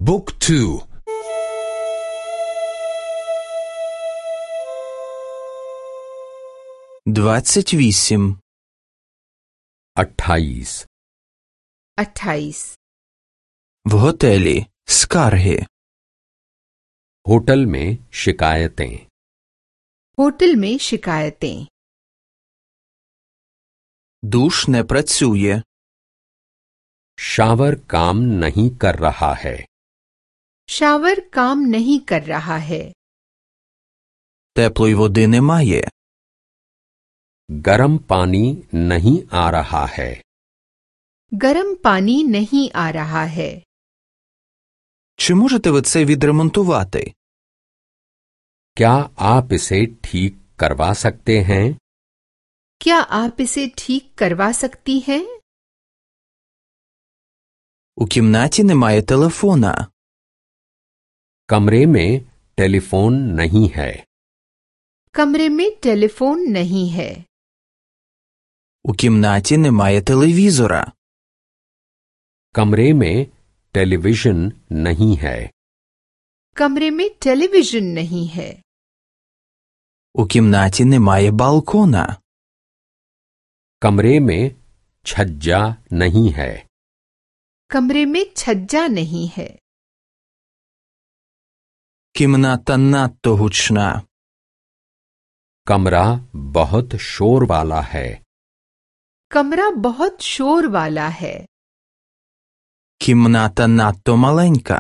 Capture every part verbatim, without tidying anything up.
Book two. двадцять вісім. अट्ठाईस. अट्ठाईस В готелі. Скарги. होटल में शिकायतें. होटल में शिकायतें Душ не працює. शावर काम नहीं कर रहा है. शावर काम नहीं कर रहा है Теплої води немає. गर्म पानी नहीं आ रहा है. गर्म पानी नहीं आ रहा है Чи можете ви це відремонтувати? क्या आप इसे ठीक करवा सकते हैं? क्या आप इसे ठीक करवा सकती हैं? У кімнаті немає телефона. कमरे में टेलीफोन नहीं है. कमरे में टेलीफोन नहीं है У кімнаті немає телевізора. कमरे में टेलीविजन नहीं है. कमरे में टेलीविजन नहीं है У кімнаті немає балкона. कमरे में छज्जा नहीं है. कमरे में छज्जा नहीं है Кімната надто гучна. कमरा बहुत शोर वाला है. कमरा बहुत शोर वाला है Кімната надто маленька.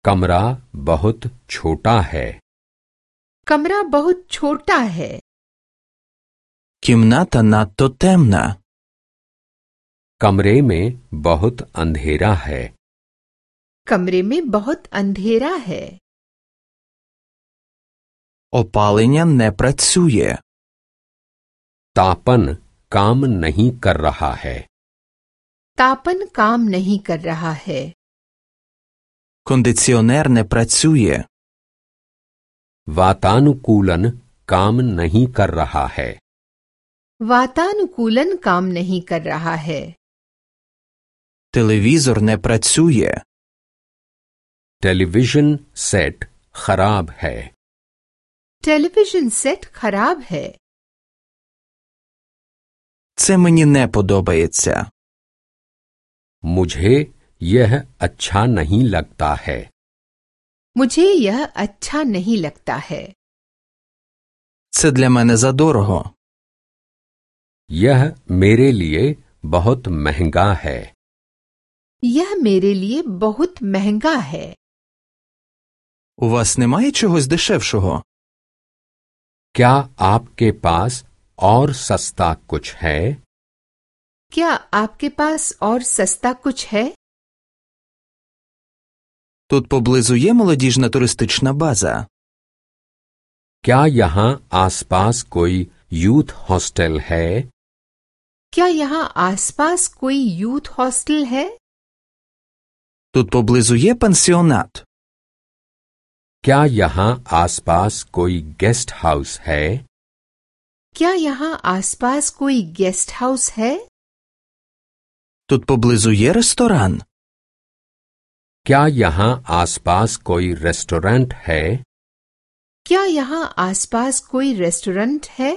कमरा बहुत छोटा है. कमरा बहुत छोटा है Кімната надто темна. कमरे में बहुत अंधेरा है. कमरे में बहुत अंधेरा है Опалення не працює. तापन काम नहीं कर रहा है. तापन काम नहीं कर रहा है Кондиціонер не працює. वातानुकूलन काम नहीं कर रहा है. वातानुकूलन काम नहीं कर रहा है Телевізор не працює. टेलीविजन सेट खराब है. टेलीविजन सेट खराब है Це мені не подобається. मुझे यह अच्छा नहीं लगता है. मुझे यह अच्छा नहीं लगता है Це для мене задорого. यह मेरे लिए बहुत महंगा है. यह मेरे लिए बहुत महंगा है У вас немає чогось дешевшого? क्या आपके पास और सस्ता कुछ है? क्या आपके पास और सस्ता कुछ है? Тут поблизу є молодіжна туристична база. क्या यहाँ आसपास कोई यूथ हॉस्टल है? क्या यहाँ आसपास कोई यूथ हॉस्टल है? Тут поблизу є пансіонат. क्या यहाँ आसपास कोई गेस्ट हाउस है? क्या यहाँ आसपास कोई गेस्ट हाउस है? Тут поблизу є ресторан. क्या यहाँ आसपास कोई रेस्टोरेंट है? क्या यहाँ आसपास कोई रेस्टोरेंट है?